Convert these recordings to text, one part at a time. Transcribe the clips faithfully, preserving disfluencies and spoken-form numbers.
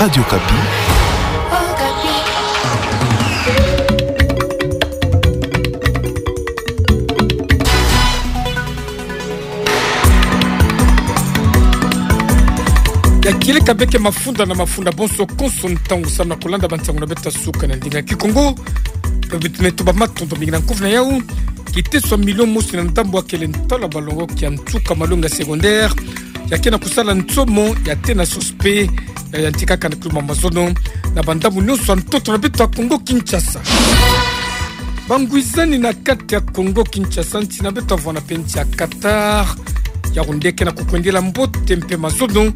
Radio Okapi. Ya kieleka beke mafunda na mafunda bonso konso ntangu samu na kolanda bansangu na beto ya suka na ndinga Kikongo. Pe beto me tuba matondo mingi na nkufi na yau. Kiteso ya milio mosi na ndambo ya kele ntwala balongoki ya nsuka malongi ya secondaire ya ke na kusala nsomo ya tena sosi pe ya yantikaka na kilumbu ya mazono na bandambu nyonso ya ntoto na beto ya Kongo Kinshasa. Bangwizani na kati ya Kongo Kinshasa, nsi na beto ya vwanda pe nsi ya Qatar, yau nde ke na kukwendela mbote mpe mazono,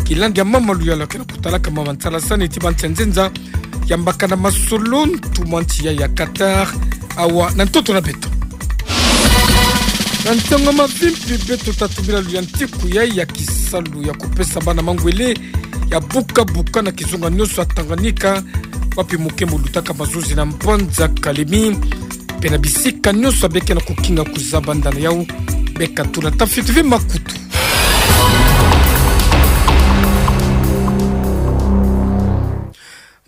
kilandi ya mama Luyalu ya ke na kutalaka mama nsalasani ti bansi ya nzenza, yambaka na masolo ntumwa nsi ya, ya Qatar, awa na ntoto na beto. Na ntangu ya mavimpi beto ta tubila luyantiku yai ya kisalu ya kupesa bana mangwele ya buka-buka na kizunga nyonso ya Tanganyika, wapi muke mulutaka mazuzi na mbanza Kalemi, pe na bisika nyonso ya beke na kukinga kuzabanda na yau, beka tula ta fiti ve makutu.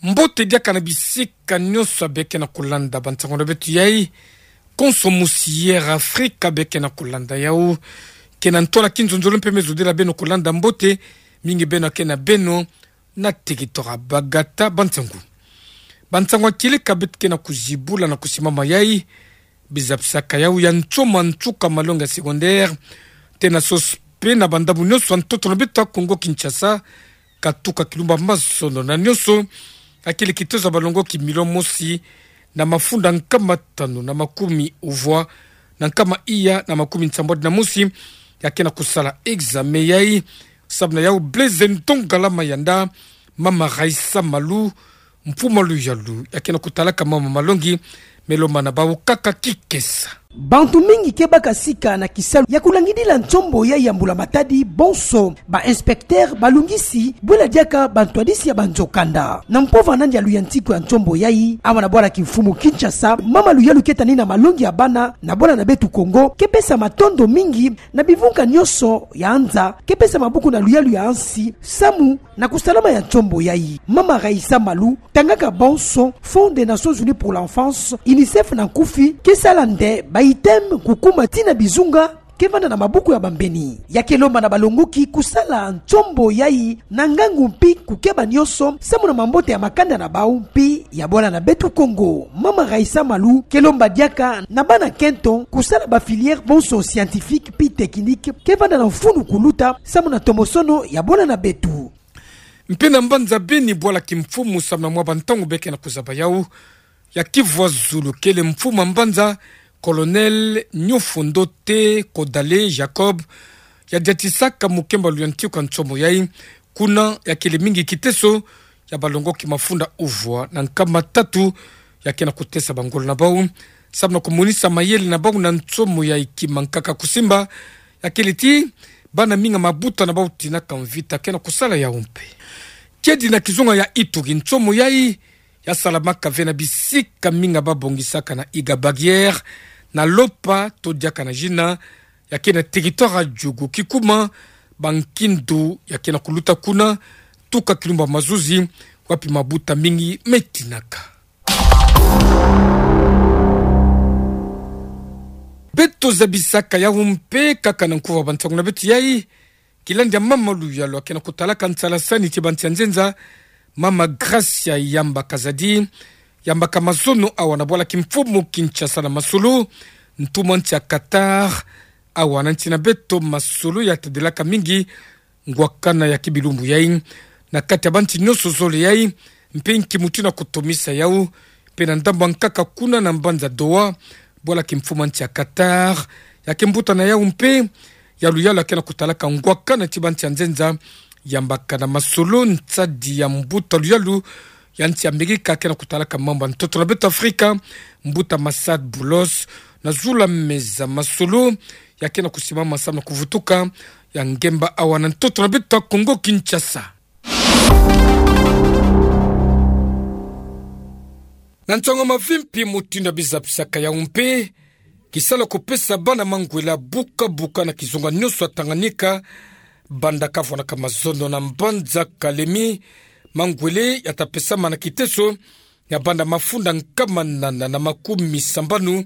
Mbote diaka na bisika nyonso ya beke na kulanda bansangu na beto yai, konso musi Air Afrika beke na kulanda yau. Ke na ntwala kinzonzolo mpe me zodela beno kulanda mbote, mingi beno ya ke na beno na territoire ya Bagata. Bansangu, bansangu ya kieleka beto ke na kuzibula na kusimama yai, bizabisaka yau ya nsomo ya nsuka malongi ya secondaire, tena sosi pe na bandambu nyonso ya ntoto na beto ya Kongo Kinshasa, katuka kilumbu ya mazono na nyonso, ya kele kitezo ya balongoki milio mosi na mafunda nkama tanu na makumi uvwa na nkama iya na makumi nsambwadi na mosi, ya ke na kusala examen yai. Samu na yau Blaise Ndongala Mayanda, mama Raissa Malu, mfumu Luyalu ya ke na kutalaka mama malongi, me lomba na bau kaka kikesa. Bantu mingi ke baka sika na kisalu ya kulangidila nsombo yai ya mbula matadi bonso, ba inspecteur, balungisi, bwela diaka bantwadisi ya banzokanda. Na mpova nandi ya luyantiku ya nsombo yai, awa na bwala kimfumu Kinshasa, mama Luyalu ke tani na malongi ya bana na bwala na beto Kongo, ke pesa matondo mingi na bivunga nyonso ya nza ke pesa mabuku na luyalu ya nsi samu na kusalama ya nsombo yai. Mama Raissa Malu, tangaka bonso Fonds des Nations Unies pour l'Enfance, UNICEF na nkufi, ke sala nde ba items kukuma tii na bizunga ke vanda na mabuku ya bambeni. Ya ke lomba na balongoki kusala nsombo yai na ngangu mpi kukeba nyonso samu na mambote ya makanda na bau mpi ya bwala na beto Kongo. Mama Raissa Malu ke lomba diaka na bana kento kusala ba filières bonso scientifiques mpi techniques ke vanda na mfunu kuluta samu na tomosono ya bwala na beto. Mpe na mbanza Beni, bwala kimfumu, samu na mwa bantangu beke na kuzaba yau, ya kivwa zulu kele mfumu ya mbanza, Colonel Nyofondo Te Kodale Jacob, ya diatisaka mukemba luyantiku ya nsomo yai. Kuna ya kele mingi kiteso ya balongoki mafunda uvwa na nkama tatu ya ke na kutesa bangolo na bau samu na kumonisa mayele na bau na nsomo yai. Kima nkaka kusimba ya kele ti bana mingi ya mabuta na bau tinaka mvita ke na kusala yau mpe. Kedi na kizunga ya Ituri, nsomo yai ya salamaka ve na bisika mingi ya babongisaka na Iga Barrière, na Lopa to diaka na Jina, ya ke na territoire ya Djugu. Kikuma, bankindu ya ke na kuluta kuna, tuka kilumbu ya mazuzi, wapi mabuta mingi me tinaka. Beto zabisaka yau mpe kaka na nkufi ya bansangu na beto yai, kilandi ya mama Luyalu ya ke na kutalaka nsalasani ti bansi ya nzenza, mama Gracia Yamba Kazadi, yambaka mazono awa na bwala kimfumu Kinshasa na masolo ntumwa nsi ya Qatar, awa na nsi na beto masolo ya tadelaka mingi ngwakana ya kibilumbu yai na kati ya bansi nyonso zole yai, mpe nki mutu na kutomisa yau, mpe na ndambu ya nkaka kuna na mbanza Doha, bwala kimfumu ya nsi ya Qatar, ya ke mbuta na yau mpe ya Luyalu ya ke na kutalaka ngwakana ti bansi ya nzenza, yambaka na masolo nsadi ya mbuta Luyalu ya nsi ya Amerika ya ke na kutalaka mambu ya ntoto na beto Afrika, mbuta Massad Boulos, na zula meza masolo ya ke na kusimama samu na kuvutuka ya ngemba awa na ntoto na beto Kongo Kinshasa. Na nsangu ya mavimpi mutindu ya bizabisaka yau mpe, kisalu ya kupesa bana mangwele ya buka-buka na kizunga nyonso ya Tanganyika, banda kavwanaka mazono na mbanza Kalemi, mangwele ya ta pesama na kiteso ya banda mafunda nkama nana na makumi sambanu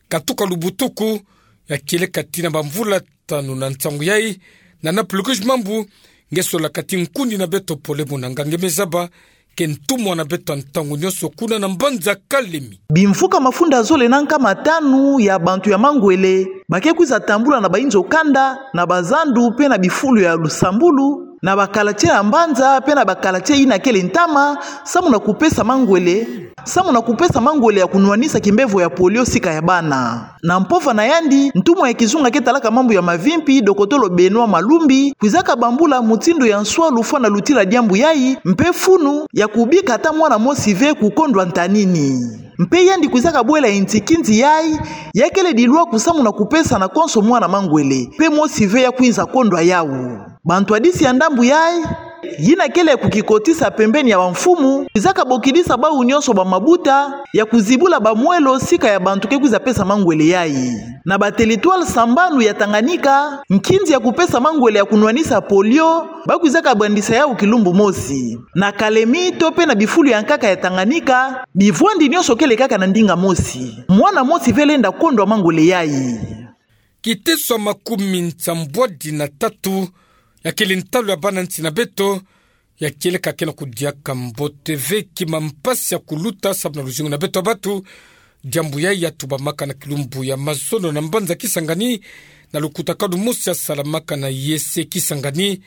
katuka lubutuku, ya kieleka tina bamvula tanu na nsangu yai. Nana Plugush Mambu nge solaka ti nkundi na beto Pole Munanga nge me zaba ke ntumwa na beto ntangu nyonso kuna na mbanza Kalemi. Bimvuka mafunda zole na nkama tanu ya bantu ya mangwele ba ke kwiza tambula na bainzo kanda, na bazandu mpe na bifulu ya lusambulu, na bakalate ya mbanza mpe na bakalate yina kele ntama, samu na kupesa mangwele, samu na kupesa mangwele ya kunwanisa kimbevo ya polio sika ya bana. Na mpova na yandi, ntumwa ya kizunga ke talaka mambu ya mavimpi, dokotolo Benoît Malumbi, kwizaka bambula mutindu ya nswalu fwana lutila diambu yai, mpe funu ya kubika ata mwana mosi ve kukondwa ntanini. Mpe yandi kwizaka bwela inti kinzi yai, ya kele dilwa kusamu na kupesa na konso mwana mangwele, mpe mosi ve ya kwinza kondwa yau. Bantwadisi ya ndambu yai, yina kele kukikotisa pembeni ya bamfumu, kwizaka bokidisa bau nyonso bamabuta ya kuzibula bamwelo sika ya bantu ke kwiza pesa mangwele yai. Na bateritware sambanu ya Tanganyika, nkinzi ya kupesa mangwele ya kunwanisa polio, ba kwizaka bandisa yau kilumbu mosi. Na Kalemi to mpe na bifulu ya nkaka ya Tanganyika, bivwandi nyonso kele kaka na ndinga mosi. Mwana mosi ve lenda kondwa mangwele yai. Kiteso ya makumi nsambwadi na tatu ya kele ntalu ya bana nsi na beto, ya kieleka ke na kudiaka mbote ve, kima mpasi ya kuluta samu na luzingu na beto ya batu. Diambu yai ya tubamaka na kilumbu ya mazono na mbanza Kisangani, na lukutakanu mosi ya salamaka na I E C Kisangani.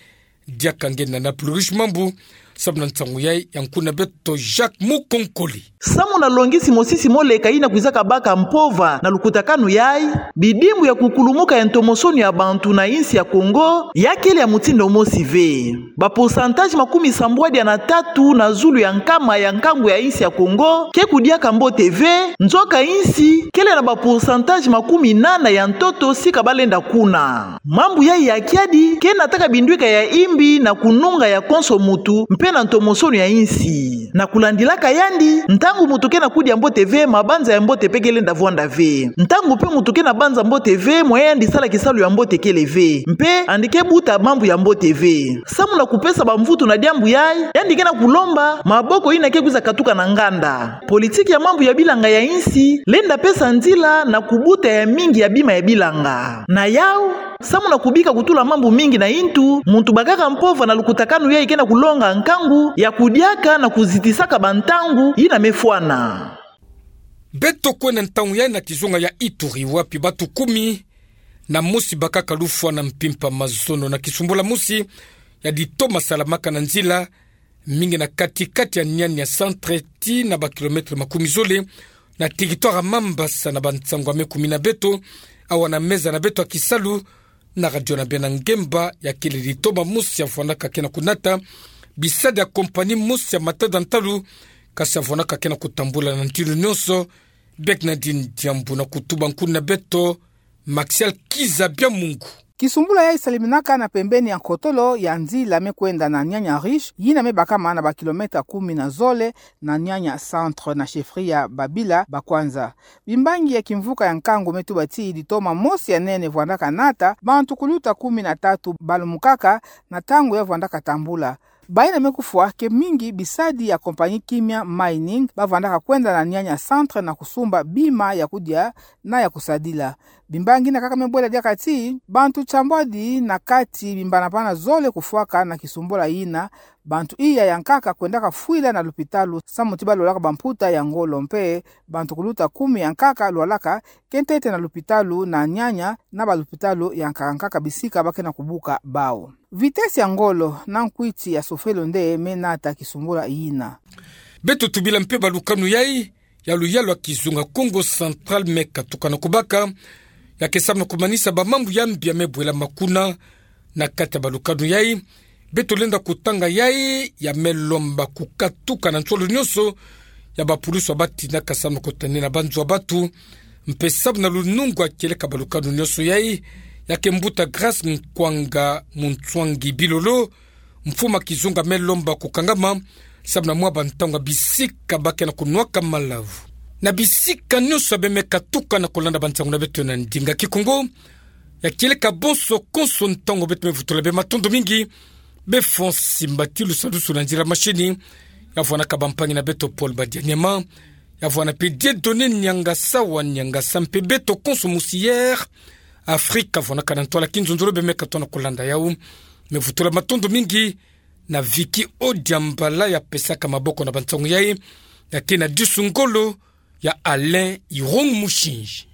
Diaka nge nana Plugush Mambu, samu na nsangu yai ya nkundi na beto Jacques Mukonkole. Samu na longisi mosisi moleka yina kwizaka baka mpova na lukutakanu yai, bidimbu ya kukulumuka ya ntomosono ya bantu na insi ya Kongo ya kele ya mutindu mosi ve. Ba pourcentage makumi sambwadi na tatu na zulu ya nkama ya nkangu ya insi ya Kongo ke kudiaka mbote ve, nzoka insi kele na ba pourcentage makumi nana ya ntoto sika ba lenda kuna. Mambu yai ya kiadi ke nataka binduika ya imbi na kununga ya konso mutu mpe na ntomosono ya insi. Na kulandilaka yandi, ntangu mutu ke na kudia mbote ve, mabanza ya mbote mpe ke lenda vwanda ve. Ntangu mpe mutu ke na banza mbote ve, moyen ya yandi sala kisalu ya mbote kele ve. Mpe yandi ke buta mambu ya mbote ve. Samu na kupesa bamvutu na diambu yai, yandi ke na kulomba maboko yina ke kwiza katuka na nganda. Politiki ya mambu ya bilanga ya insi lenda pesa nzila na kubuta ya mingi ya bima ya bilanga. Na yau, samu na kubika kutula mambu mingi na intu, muntu bakaka mpova na lukutakanu yai ke na kulonga nkangu ya kudiaka na kuzitisaka bantangu yina me fwana. Beto kwenda ntangu yai na kizunga ya Ituri, wapi batu kumi na mosi bakaka lufwa na mpimpa mazono na kisumbula mosi ya ditoma salamaka na nzila, mingi na kati-kati ya Niania centre tii na ba kilomètre makumi zole, na territoire ya Mambasa. Na bansangu ya me kumi na beto, awa na meza na beto ya kisalu na radio na beno ya ngemba, ya kele ditoma mosi ya vwandaka ke na kunata bisadi ya compagnie mosi ya matada ntalu, kasi ya vwandaka ke na kutambula na ntilu nyonso. Bernardine Diambu na kutuba nkundi na beto Maxial Kiza Biamungu. Kisumbula yai saliminaka na pembeni ya nkotolo ya nzila me kwenda na Niania Riche, yina me bakama na ba kilomètre kumi na zole na Niania centre na chefferie ya Babila Bakwanza. Bimbangi ya kimvuka ya nkangu me tuba ti ditoma mosi ya nene vwandaka nata, bantu kuluta kumi na tatu balumukaka na ntangu ya vwandaka tambula. Bayina me kufwa ke mingi bisadi ya compagnie Kimia Mining, ba vwandaka kwenda na Niania centre na kusumba bima ya kudia na ya kusadila. Bimbangi yina kaka me bwela diaka ti bantu nsambwadi na kati bimbanabana zole kufwaka na kisumbula yina. Bantu iya ya nkaka kwendaka fwila na lupitalu samu ti ba lwalaka bamputa ya ngolo, mpe bantu kuluta kumi ya nkaka lwalaka ke ntete na lupitalu na Niania na balupitalu ya nkaka nkaka bisika ba ke na kubuka bau. Vitesse ya ngolo na nkwiti ya sofelo nde me nata kisumbula yina. Beto tubila mpe balukanu yai ya luyalu ya kizunga Kongo Central me katuka na kubaka, ya ke samu na kumanisa bamambu ya mbi ya me bwelama kuna. Na kati ya balukanu yai, beto lenda kutanga yai ya me lomba kukatuka na nsolo nyonso ya bapulusu ya ba tinaka samu na kutanina banzo ya batu, mpe samu na lunungu ya kieleka balukanu nyonso yai, ya ke mbuta Grâce Nkwanga Munswangi Bilolo, mfumu ya kizunga, me lomba kukangama samu na mwa bantangu ya bisika ba ke na kunwaka malavu. Na bisika nyonso ya be me katuka na kulanda bansangu na beto na ndinga Kikongo, ya kieleka bonso konso ntangu beto me vutula be matondo mingi. Befo Simba Tilusa Lusula Nzila Mashini, ya vwandaka bampangi na beto Paul Badianyema, ya vwanda mpe Dieudonné Niangasa wa Niangasa mpe beto konso Musière Afrika vwandaka na ntwala kinzonzolo bemeka tona kolanda yau. Me vutula matondo mingi na Vicky Odiambala ya pesaka maboko na bansangu yayi, ya ke na disu ngolo ya Alain Irung Mushinji.